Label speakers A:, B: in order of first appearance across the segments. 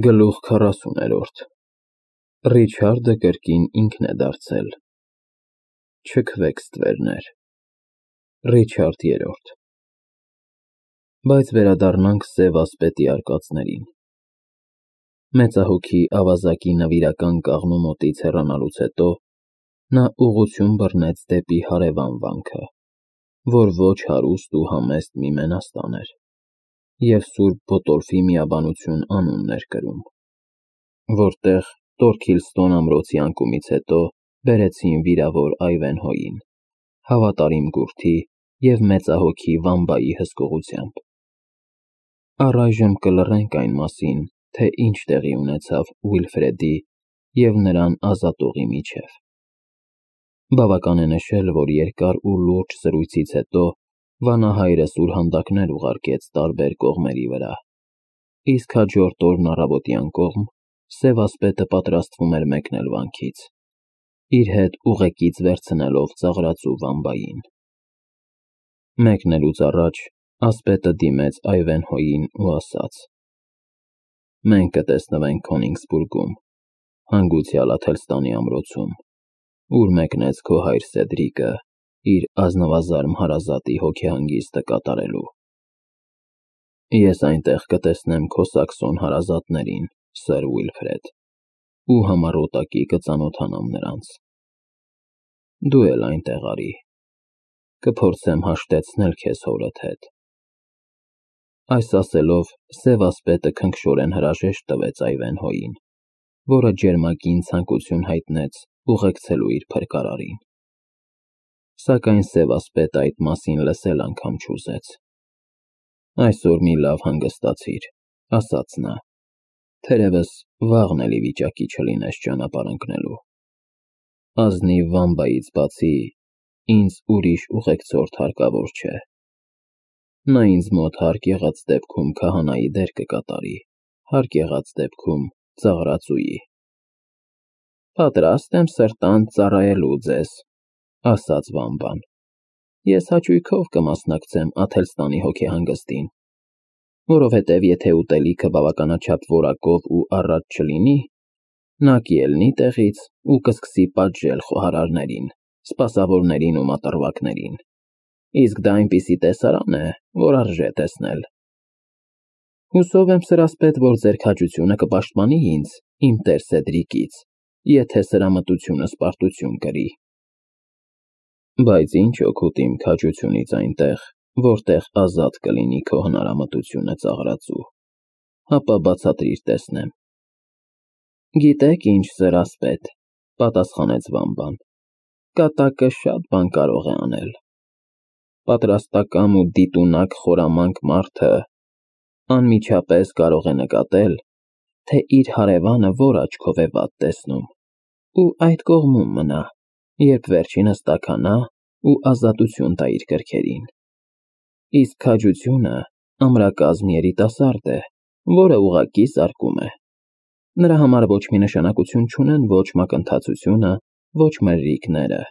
A: Գլուխ 40-րդ Ռիչարդը կրկին ինքն է դարձել։ Չքվեք ստվերներ։ Ռիչարդ III Բայց վերադառնանք Սև ասպետի արկածներին։ Մեծահոգի ավազակի նվիրական կաղնու մոտից հեռանալուց հետո նա ուղղություն բռնեց դեպի հարևան վանքը, որ ոչ հարուստ ու համեստ մի մենաստան էր, և Սուրբ Բոտորֆի միաբանություն անունն էր կրում, որտեղ Տորքիլստոն ամրոցի անկումից հետո բերեցին վիրավոր Այվենհոյին, հավատարիմ գուրդի և մեծահոգի Վամբայի հսկողությամբ։ Առայժմ կլռենք այն մասին, թե ինչ տեղի ունեցավ Ուիլֆրեդի և նրան ազատողի միջև։ Բավական է նշել, որ երկար ու լուրջ զրույցից հետո վանահայրը սուրհանդակներ ուղարկեց տարբեր կողմերի վրա, իսկ հաջորդ օրն առավոտյան կողմ Սև ասպետը պատրաստվում էր մեկնել վանքից, իր հետ ուղեկից վերցնելով ծաղրածու Վամբային։ Մեկնելուց առաջ ասպետը դիմեց Այվենհոյին ու ասաց. «Մենք կտեսնվենք Քոնիգսբուրգում, հանգուցյալ Աթելստանի ամրոցում, ուր մեկնեց քո հայր Սեդրիկը իր ազնվազարմ հարազատի հոգեհանգիստը կատարելու։ Ես այնտեղ կտեսնեմ քո սաքսոն հարազատներին, Սըր Ուիլֆրեդ, ու համառոտակի կծանոթանամ նրանց։ Դու էլ այնտեղ արի, կփորձեմ հաշտեցնել քեզ հորդ հետ»։ Այս ասելով Սև ասպետը քնքշորեն հրաժեշտ տվեց Այվենհոյին, որը ջերմագին ցանկություն հայտնեց ուղեկցելու իր փրկարարին։ Սակայն Սև ասպետը այդ մասին լսել անգամ չուզեց։ «Այսօր մի լավ հանգստացիր», ասաց նա, «թերևս վաղն էլ ի վիճակի չլինես ճանապարհ ընկնելու։ Ազնիվ Վամբայից բացի ինձ ուրիշ ուղեկցորդ հարկավոր չէ։ Նա ինձ մոտ հարկ եղած դեպքում քահանայի դեր կկատարի, հարկ եղած դեպքում ծաղրածուի»։ «Պատրաստ եմ սրտանց ծառայելու ձեզ», ասաց Վամբան։ «Ես հաճույքով կմասնակցեմ Աթելստանի հոգեհանգստին, որովհետև եթե ուտելիքը բավականաչափ որակով ու առատ չլինի, նա կելնի տեղից ու կսկսի պատժել խոհարարներին, սպասավորներին ու մատռվակներին, իսկ դա այնպիսի տեսարան է, որ արժե տեսնել։ Հուսով եմ, սրասպետ, որ ձեր քաջությունը կպաշտպանի ինձ իմ տեր Սեդրիկից, եթե սրամտությունս պարտություն կրի։ Բայց ինչ օգուտ իմ քաջությունից այնտեղ, որտեղ ազատ կլինի քո հնարամտությունը ծաղրածու, հապա բացատրիր տեսնեմ»։ «Գիտեք ինչ, սրասպետ», պատասխանեց Վամբան, «կատակը շատ բան կարող է անել։ Պատրաստակամ ու դիտունակ խորամանկ մարդը անմիջապես կարող է նկատել, թե իր հարևանը որ աչքով է վատ տեսնում, ու այդ կողմում մնա, երբ վերջինս տաքանա ու ազատություն տա իր կրքերին։ Իսկ քաջությունը ամրակազմ երիտասարդ է, որը ուղղակի սարկում է։ Նրա համար ոչ մի նշանակություն չունեն ոչ մակընթացությունը, ոչ մրրիկները։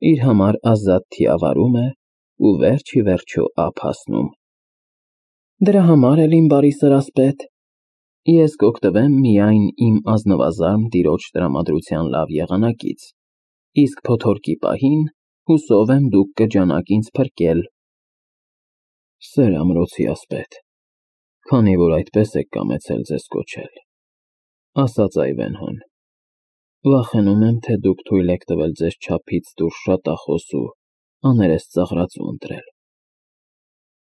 A: Իր համար ազատ թիավարում է ու վերջ ի վերջո ափ հասնում։ Դրա համար էլ, իմ բարի սրասպետ, ես կօգտվեմ միայն իմ ազնվազարմ տիրոջ տրամադրության լավ եղանակից, իսկ փոթորկի պահին հուսով եմ դուք կջանաք ինձ փրկել»։ «Սեր ամրոցի ասպետ, քանի որ այդպես եք կամեցել ձեզ կոչել», ասաց Այվենհոն, «վախենում եմ, թե դուք թույլ եք տվել ձեզ չափից դուրս շատախոս ու աներես ծաղրածու ընտրել։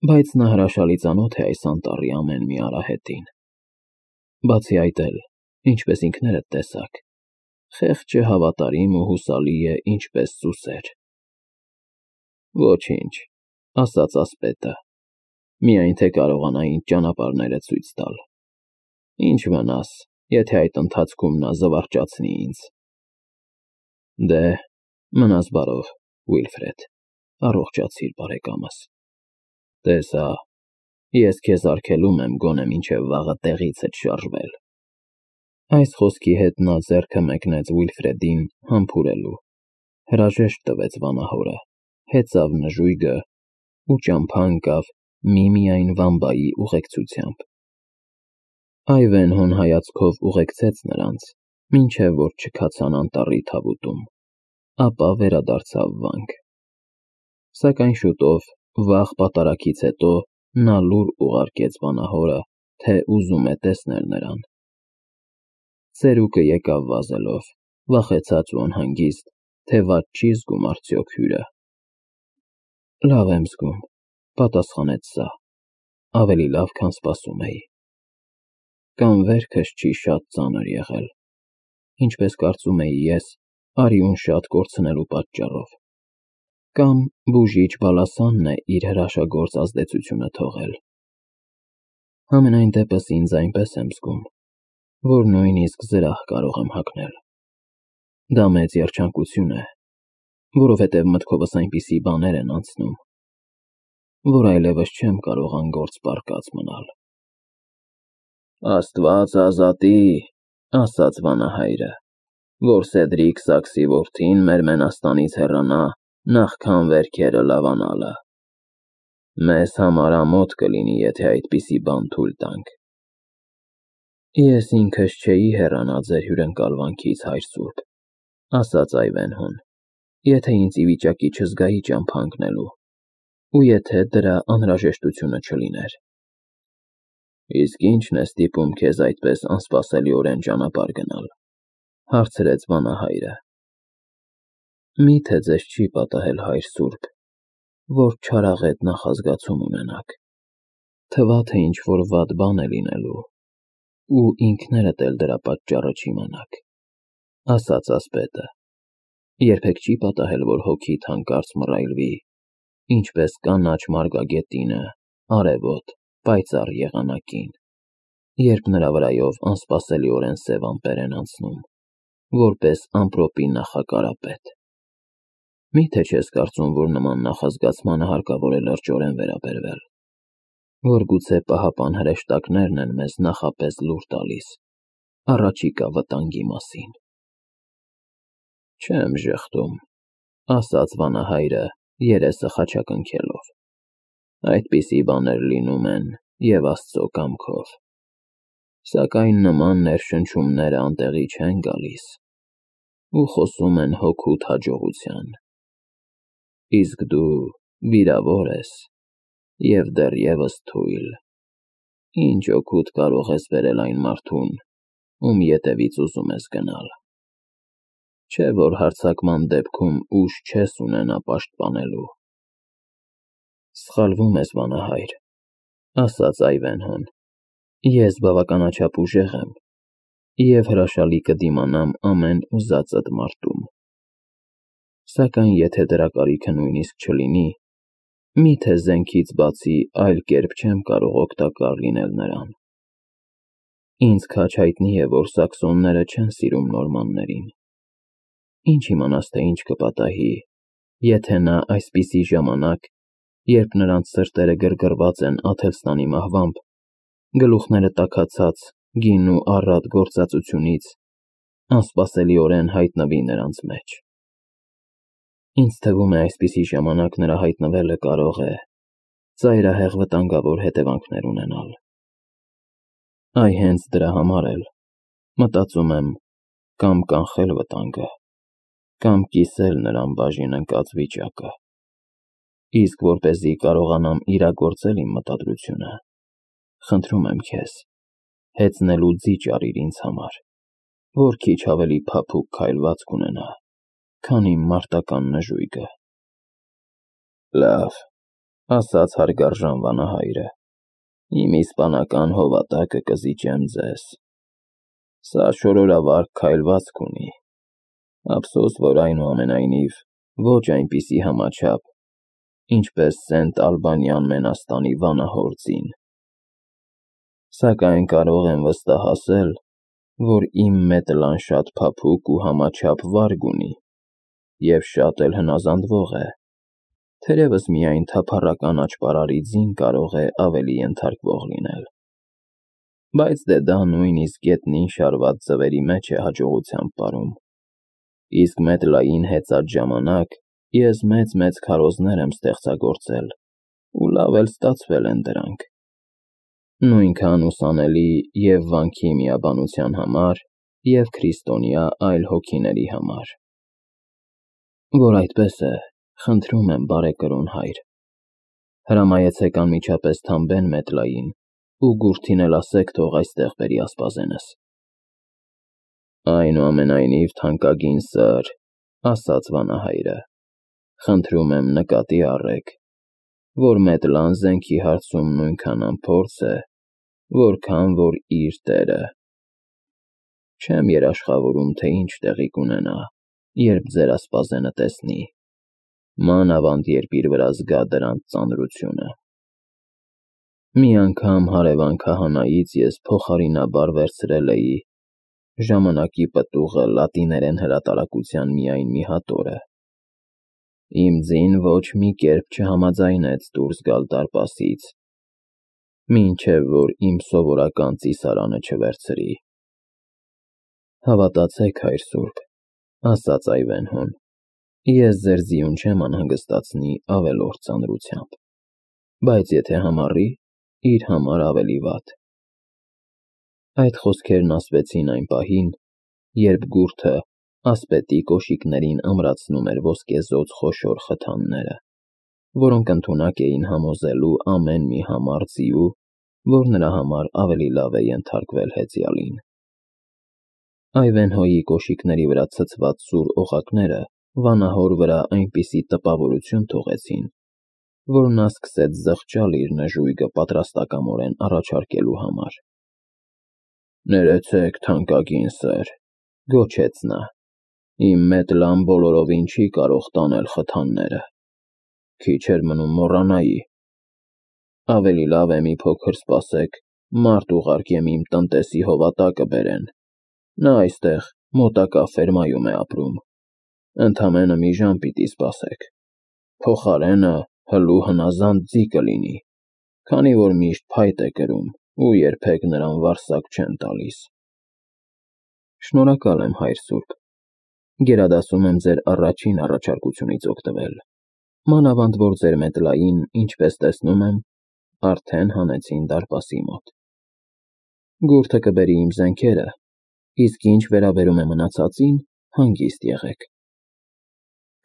A: Բայց նա հրաշալի ծանոթ է այս անտառի ամեն մի արահետին։ Բացի այդ էլ, ինչպես ինքներդ տեսաք, խեղճը հավատարիմ ու հուսալի է ինչպես սուսեր»։ «Ոչինչ», ասաց ասպետը, «միայն թե կարողանա ինձ ճանապարհները ցույց տալ։ Ինչ վնաս, եթե այդ ընթացքում նա զվարճացնի ինձ։ Դե, մնաս բարով, Ուիլֆրեդ, առողջացիր բարեկամս։ Տես հա, ես քեզ արգելում եմ գոնե մինչև վաղը տեղիցդ շարժվել»։ Այս խոսքի հետ նա ձեռքը մեկնեց Ուիլֆրեդին համբուրելու, հրաժեշտ տվեց վանահորը, հեծավ նժույգը ու ճամփա ընկավ միմիայն Վամբայի ուղեկցությամբ։ Այվենհոն հայացքով ուղեկցեց նրանց, մինչև որ չքացան անտառի թավուտում, ապա վերադարձավ վանք։ Սակայն շուտով, վաղ պատարագից հետո, նա լուր ուղարկեց վանահորը, թե ուզում է տեսնել նրան։ Ծերուկը եկավ վազելով, վախեցած ու անհանգիստ, թե վատ չի զգում արդյոք հյուրը։ Լավ եմ զգում, պատասխանեց սա, ավելի լավ, քան սպասում էի։ Կամ վերքս չի շատ ծանր եղել, ինչպես կարծում էի ես, արյուն շատ կորցնելու պատճառով, կամ բուժիչ բալասանն է իր հրաշագործ ազդեցությունը թողել։ Համենայն դեպս ինձ այնպես եմ զգում, որ նույնիսկ զրահ կարող եմ հագնել։ Դա մեծ երջանկություն է, որովհետև մտքովս այնպիսի բաներ են անցնում, որ այլևս չեմ կարող անգործ պառկած մնալ։ Աստված ազատի, ասաց վանահայրը, որ Սեդրիկ Սաքսի որդին մեր մենաստանից հեռանա, նախքան վերքերը լավանալը։ Մեզ համար ամոթ կլինի, եթե այդպիսի բան թույլ տանք։ Ես ինքս չէի հեռանա ձեր հյուրընկալվանքից, հայր սուրբ, ասաց Այվենհոն, եթե ինձ ի վիճակի չզգայի ճամփա ընկնելու, ու եթե դրա անհրաժեշտությունը չլիներ։ Իսկ ի՞նչն է ստիպում քեզ այդպես անսպասելիորեն ճանապարհ գնալ, հարցրեց վանահայրը։ Միթե ձեզ չի պատահել, հայր սուրբ, որ չարաղետ նախազգացում ունենաք, թվա թե ինչ-որ վատ բան է լինելու, ու ինքներդ էլ դրա պատճառը չիմանաք, ասաց ասպետը։ Երբեք չի պատահել, որ հոգիդ հանկարծ մռայլվի, ինչպես կանաչ մարգագետինը, արևոտ, պայծառ եղանակին, երբ նրա վրայով անսպասելիորեն սև ամպեր են անցնում, որպես ամպրոպի նախակարապետ։ Միթե չես կարծում, որ նման նախազգացմանը հարկավոր է լրջորեն վերաբերվել, որ գուցե պահապան հրեշտակներն են մեզ նախապես լուր տալիս առաջիկա վտանգի մասին։ Չեմ ժխտում, ասաց վանահայրը, երեսը խաչակնքելով։ Այդպիսի բաներ լինում են և Աստծո կամքով։ Սակայն նման ներշնչումները անտեղի չեն գալիս ու խոսում են հոգուդ հաջողության։ Իսկ դու վիրավոր ես և դեռևս թույլ։ Ինչ օգուտ կարող ես բերել այն մարդուն, ում ետևից ուզում ես գնալ։ Չէ՞ որ հարձակման դեպքում ուժ չես ունենա պաշտպանելու։ Սխալվում ես, վանահայր, ասաց Այվենհոն, ես բավականաչափ ուժեղ եմ և հրաշալի կդիմանամ ամեն ուզածդ մարտում։ Սակայն եթե դրա կարիքը նույնիսկ չլինի, միթե զենքից բացի այլ կերպ չեմ կարող օգտակար լինել նրան։ Ինձ քաջ հայտնի է, որ սաքսոնները չեն սիրում նորմաններին։ Ինչ իմանաս, թե ինչ կպատահի, եթե նա այսպիսի ժամանակ, երբ նրանց սրտերը գրգռված են Աթելստանի մահվամբ, գլուխները տաքացած գին ու առատ գործածությունից, անսպասելիորեն հայտնվի նրանց մեջ։ Ինձ թվում է այսպիսի ժամանակ նրա հայտնվելը կարող է ծայրահեղ վտանգավոր հետևանքներ ունենալ։ Այ հենց դրա համար էլ, մտածում եմ, կամ կանխել վտանգը, կամ կիսել նրան բաժին ընկած վիճակը։ Իսկ որպեսզի կարողանամ իրագործել իմ մտադրությունը, խնդրում եմ քեզ, հեծնելու ձիճ արիր ինձ համար, որ քիչ ավելի փափուկ քայլվածք ունենա, քան իմ մարտական նժույգը։ Լավ, ասաց հարգարժան վանահայրը, իմ իսպանական հովատակը կզիջեմ ձեզ։ Սա շորորավառ քայլվածք ունի, ափսոս, որ այնուամենայնիվ ոչ այնպիսի համաչափ, ինչպես Սենտ Ալբանյան մենաստանի վանահոր ձին։ Սակայն կարող եմ վստահել, որ իմ մետլան շատ փափուկ ու համաչափ վարկ ունի և շատ էլ հնազանդվող է, թերևս միայն թափառական աճպարարի ձին կարող է ավելի ենթարկվող լինել։ Բայց դե դա նույնիսկ գետնին շարված ձվերի մեջ է հաջողությամբ ապրում, իսկ մետլային հեծած ժամանակ ես մեծ քարոզներ եմ ստեղծագործել ու լավ էլ ստացվել են դրանք։ Նույնքան ուսանելի և վանքի միաբանության համար, և քրիստոնյա այլ հոգիների համար։ Որ այդպես է, խնդրում եմ, բարեկրոն հայր, հրամայեցեք անմիջապես թամբեն Մեդլային ու Գուրթին էլ ասեք թող այստեղ բերի ասպազենս։ Այնուամենայնիվ, թանկագին սըր, ասաց վանահայրը, խնդրում եմ նկատի առեք, որ Մեդլան զենքի հարցում նույնքան անփորձ է, որքան որ իր տերը։ Չեմ երաշխավորում, թե ինչ տեղի կունենա, երբ ձեր ասպազենը տեսնի, մանավանդ երբ իր վրա զգա դրանց ծանրությունը։ Մի անգամ հարևան քահանայից ես փոխարինաբար վերցրել էի ժամանակի պտուղը լատիներեն հրատարակության միայն մի հատորը։ Իմ ձին ոչ մի կերպ չհամաձայնեց դուրս գալ դարպասից, մինչև որ իմ սովորական ծիսարանը չվերցրի։ Հավատացեք, հայր սուրբ, ասաց Այվենհոն, ես ձեր ձիուն չեմ անհանգստացնի ավելորդ ծանրությամբ, բայց եթե համառի, իր համար ավելի վատ։ Այդ խոսքերն ասվեցին այն պահին, երբ Գուրթը ասպետի կոշիկներին ամրացնում էր ոսկեզօծ խոշոր խթանները, որոնք ընդունակ էին համոզելու ամեն մի համառ ձիու, որ նրա համար ավելի լավ է ենթարկվել հեծյալին։ Այվենհոյի կոշիկների վրա ցցված սուր օղակները վանահոր վրա այնպիսի տպավորություն թողեցին, որ նա սկսեց զղջալ իր նժույգը պատրաստակամորեն առաջարկելու համար։ Ներեցեք, թանկագին սըր, գոչեց նա, իմ Մեդլան բոլորովին չի կարող տանել խթանները, քիչ էր մնում մոռանայի։ Ավելի լավ է մի փոքր սպասեք, մարդ ուղարկեմ իմ տնտեսի հովատակը բերեն, նա այստեղ մոտակա ֆերմայում է ապրում, ընդամենը մի ժամ պիտի սպասեք, փոխարենը հլու հնազանդ ձի կլինի, քանի որ միշտ փայտ է կրում ու երբեք նրան վարսակ չեն տալիս։ Շնորհակալ եմ, հայր սուրբ, գերադասում եմ ձեր առաջին առաջարկությունից օգտվել, մանավանդ որ ձեր Մեդլային, ինչպես տեսնում եմ, արդեն հանեցին դարպասի մոտ։ Գուրթը կբերի իմ զենքերը, իսկ ինչ վերաբերում է մնացածին, հանգիստ եղեք։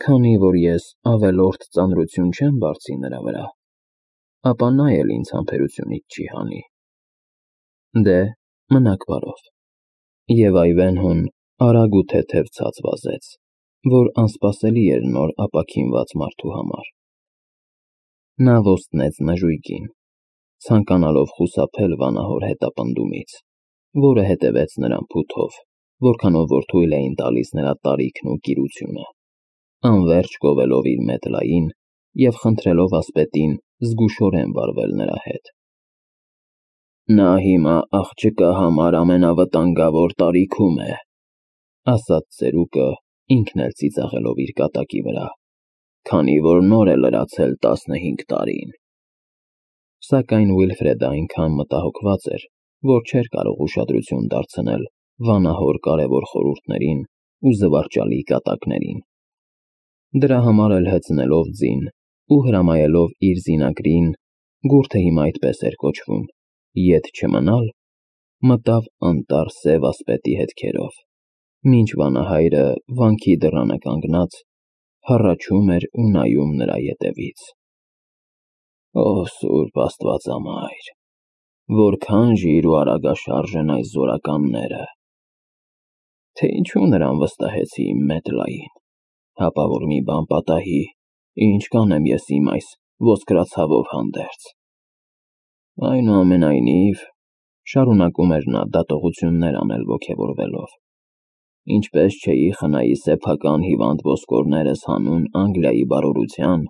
A: Քանի որ ես ավելորդ ծանրություն չեմ բարձի նրա վրա, ապա նա էլ ինձ համբերությունից չի հանի։ Դե, մնաք բարով։ Եվ Այվենհոն արագ ու թեթև ցած վազեց, որ անսպասելի էր նոր ապաքինված մարդու համար։ Նա ոստնեց նժույգին, ցանկանալով խուսափել վանահոր հետապնդումից, որը հետևեց նրան փութով, որքանով որ թույլ էին տալիս նրա տարիքն ու կիրությունը, անվերջ գովելով իր Մեդլային և խնդրելով ասպետին զգուշորեն վարվել նրա հետ։ Նա հիմա աղջկա համար ամենավտանգավոր տարիքում է, ասաց ծերուկը, ինքն էլ ծիծաղելով իր կատակի վրա, քանի որ նոր է լրացել 15 տարին։ Սակայն Ուիլֆրեդը այնքան մտահոգված էր, որ չէր կարող ուշադրություն դարձնել վանահոր կարևոր խորհուրդներին ու զվարճալի կատակներին։ Դրա համար էլ հեծնելով ձին ու հրամայելով իր զինագրին, Գուրթը հիմա այդպես էր կոչվում, ետ չմնալ, մտավ անտառ սև ասպետի հետքերով, մինչ վանահայրը վանքի դռանը կանգնած հառաչում էր ու նայում նրա ետևից։ Ո սուրբ Աստվածամայր, որքան ժիր ու արագաշարժ են այս զորականները, թե ինչու նրան վստահեցի իմ Մեդլային, հապա որ մի բան պատահի, ինչ կանեմ ես իմ այս ոսկրածավով հանդերձ։ Այնուամենայնիվ, շարունակում էր նա դատողություններ անել ոգևորվելով, ինչպես չէի խնայի սեփական հիվանդ ոսկորներս հանուն Անգլիայի բարօրության,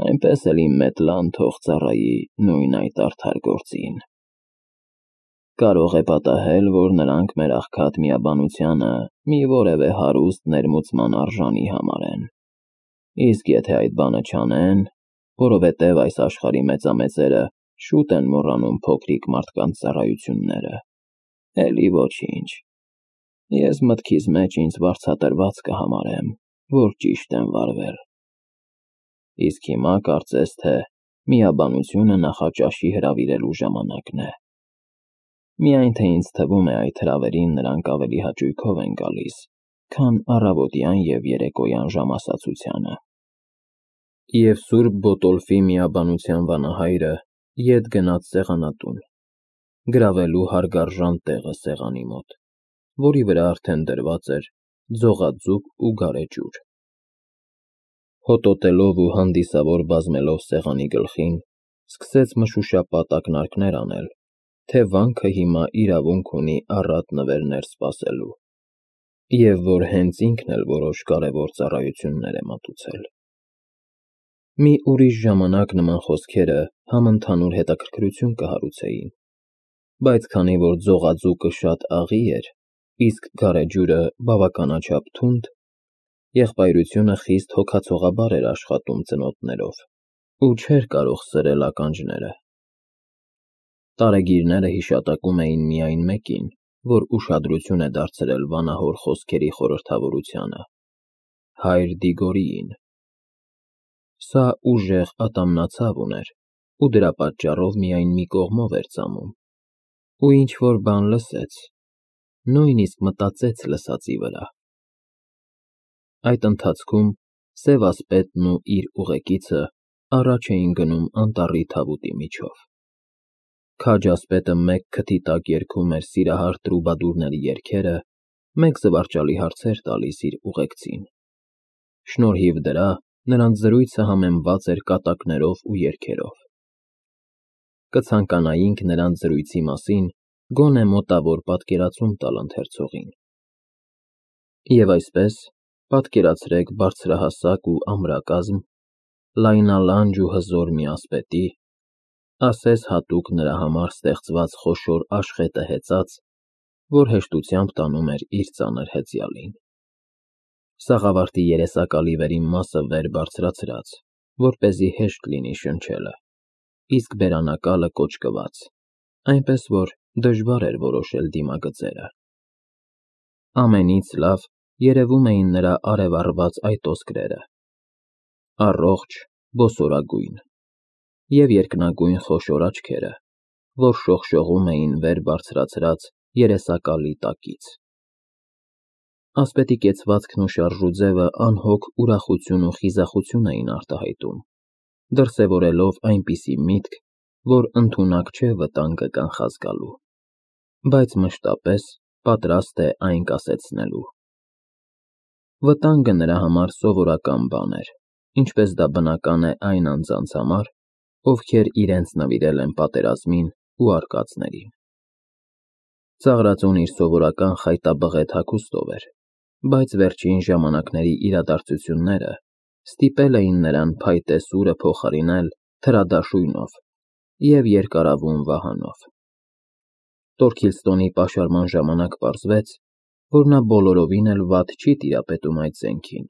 A: այնպես էլ իմ Մեդլան թող ծառայի նույն այդ արդար գործին։ Կարող է պատահել, որ նրանք մեր աղքատ միաբանությանը մի որևէ հարուստ ներմուծման արժանի համարեն, իսկ եթե այդ բանը չանեն, որովհետև այս աշխարհի մեծամեծերը շուտ են մոռանում փոքրիկ մարդկանց ծառայությունները, էլի ոչինչ, ես մտքիս մեջ ինձ վարձատրված կհամարեմ, որ ճիշտ եմ վարվել։ Իսկ հիմա կարծես թե Միաբանությունը նախաճաշի հրավիրելու ժամանակն է։ Միայն թե ինձ թվում է այդ հրավերին նրանք ավելի հաճույքով են գալիս, քան առավոտյան և երեկոյան ժամասացությանը։ Եվ Սուրբ Բոտոլֆի միաբանության վանահայրը ետ գնաց սեղանատուն, գրավելու հարգարժան տեղը սեղանի մոտ, որի վրա արդեն դրված էր ձողաձուկ ու գարեջուր։ Հոտոտելով ու հանդիսավոր բազմելով սեղանի գլխին, սկսեց մշուշապատ ակնարկներ անել, թե վանքը հիմա իրավունք ունի առատ նվերներ սպասելու, և որ հենց ինքն էլ որոշ կարևոր ծառայություններ է մատուցել։ Մի ուրիշ ժամանակ նման խոսքերը համընդհանուր հետաքրքրություն կհարուցեին, բայց քանի որ ձողաձուկը շատ աղի էր, իսկ գարեջուրը բավականաչափ թունդ, եղբայրությունը խիստ հոգացողաբար էր աշխատում ծնոտներով ու չէր կարող սրել ականջները։ Տարեգիրները հիշատակում էին միայն մեկին, որ ուշադրություն է դարձրել վանահոր խոսքերի խորհրդավորությանը՝ հայր Դիգորիին։ Սա ուժեղ ատամնացավ ուներ ու դրա պատճառով միայն մի կողմով էր ծամում, ու ինչ-որ բան լսեց, նույնիսկ մտածեց լսածի վրա։ Այդ ընթացքում Սև ասպետն ու իր ուղեկիցը առաջ էին գնում անտառի թավուտի միջով։ Քաջ ասպետը մեկ քթի տակ երգում էր սիրահար տրուբադուրների երգերը, մեկ զվարճալի հարցեր տալիս իր ուղեկցին։ Շնորհիվ դրա նրանց զրույցը համեմված էր կատակներով ու երգերով։ Կցանկանայինք նրանց զրույցի մասին գոնե մոտավոր պատկերացում տալ ընթերցողին։ Եվ այսպես, պատկերացրեք բարձրահասակ ու ամրակազմ, լայնալանջ ու հզոր մի ասպետի, ասես հատուկ նրա համար ստեղծված խոշոր աշխետը հեծած, որ հեշտությամբ տանում էր իր ծանր հեծյալին։ Սաղավարտի երեսակալի վերին մասը վեր բարձրացրած, որպեսզի հեշտ լինի շնչելը, իսկ բերանակալը կոճկված, այնպես որ դժվար էր որոշել դիմագծերը։ Ամենից լավ երևում էին նրա արևառված այտոսկրերը, առողջ, բոսորագույն, և երկնագույն խոշոր աչքերը, որ շողշողում էին վեր բարձրացրած երեսակալի տակից։ Ասպետի կեցվածքն ու շարժուձևը անհոգ ուրախություն ու խիզախություն էին արտահայտում, դրսևորելով այնպիսի միտք, որ ընդունակ չէ վտանգը կանխազգալու, բայց մշտապես պատրաստ է այն կասեցնելու։ Վտանգը նրա համար սովորական բան էր, ինչպես դա բնական է այն անձանց համար, ովքեր իրենց նվիրել են պատերազմին ու արկածներին։ Ծաղրածուն իր սովորական խայտաբղետ հագուստով էր, բայց վերջին ժամանակների իրադարձությունները ստիպել էին նրան փայտե սուրը փոխարինել թրադաշույնով և երկարավուն վահանով։ Տորքիլստոնի պաշարման ժամանակ պարզվեց, որ նա բոլորովին էլ վատ չի տիրապետում այդ զենքին,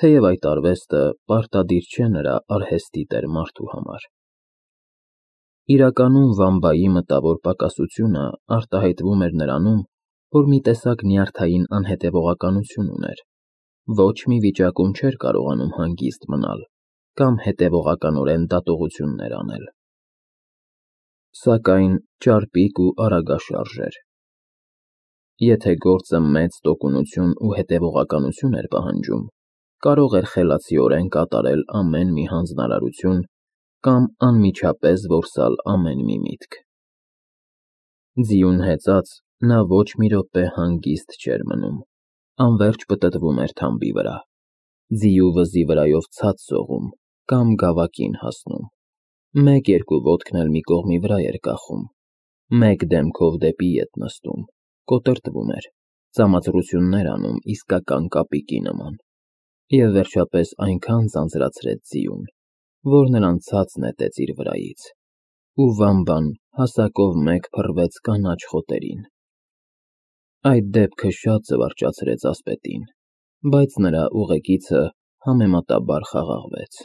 A: թեև այդ արվեստը պարտադիր չէ նրա արհեստի տեր մարդու համար։ Իրականում Վամբայի մտավոր պակասությունը արտահայտվում էր նրանում, որ մի տեսակ նյարդային անհետևողականություն ուներ, ոչ մի վիճակում չէր կարողանում հանգիստ մնալ կամ հետևողականորեն դատողություններ անել։ Սակայն ճարպիկ ու արագաշարժ էր։ Եթե գործը մեծ տոկունություն ու հետևողականություն էր պահանջում, կարող էր խելացիորեն կատարել ամեն մի հանձնարարություն կամ անմիջապես որսալ ամեն մի միտք։ Ձիուն հեծած, նա ոչ մի րոպե հանգիստ չէր մնում, անվերջ պտտվում էր թամբի վրա, ձիու վզի վրայով ցած սողում կամ գավակին հասնում, մեկ-երկու ոտքն էլ մի կողմի վրա էր կախում, մեկ դեմքով դեպի ետ նստում, կոտրտվում էր, ծամածռություններ անում իսկական կապիկի նման, և վերջապես այնքան ձանձրացրեց ձիուն, որ նրան ցած նետեց իր վրայից, ու Վամբան հասակով մեկ փռվեց կանաչ խոտերին։ Այդ դեպքը շատ զվարճացրեց ասպետին, բայց նրա ուղեկիցը համեմատաբար խաղաղվեց։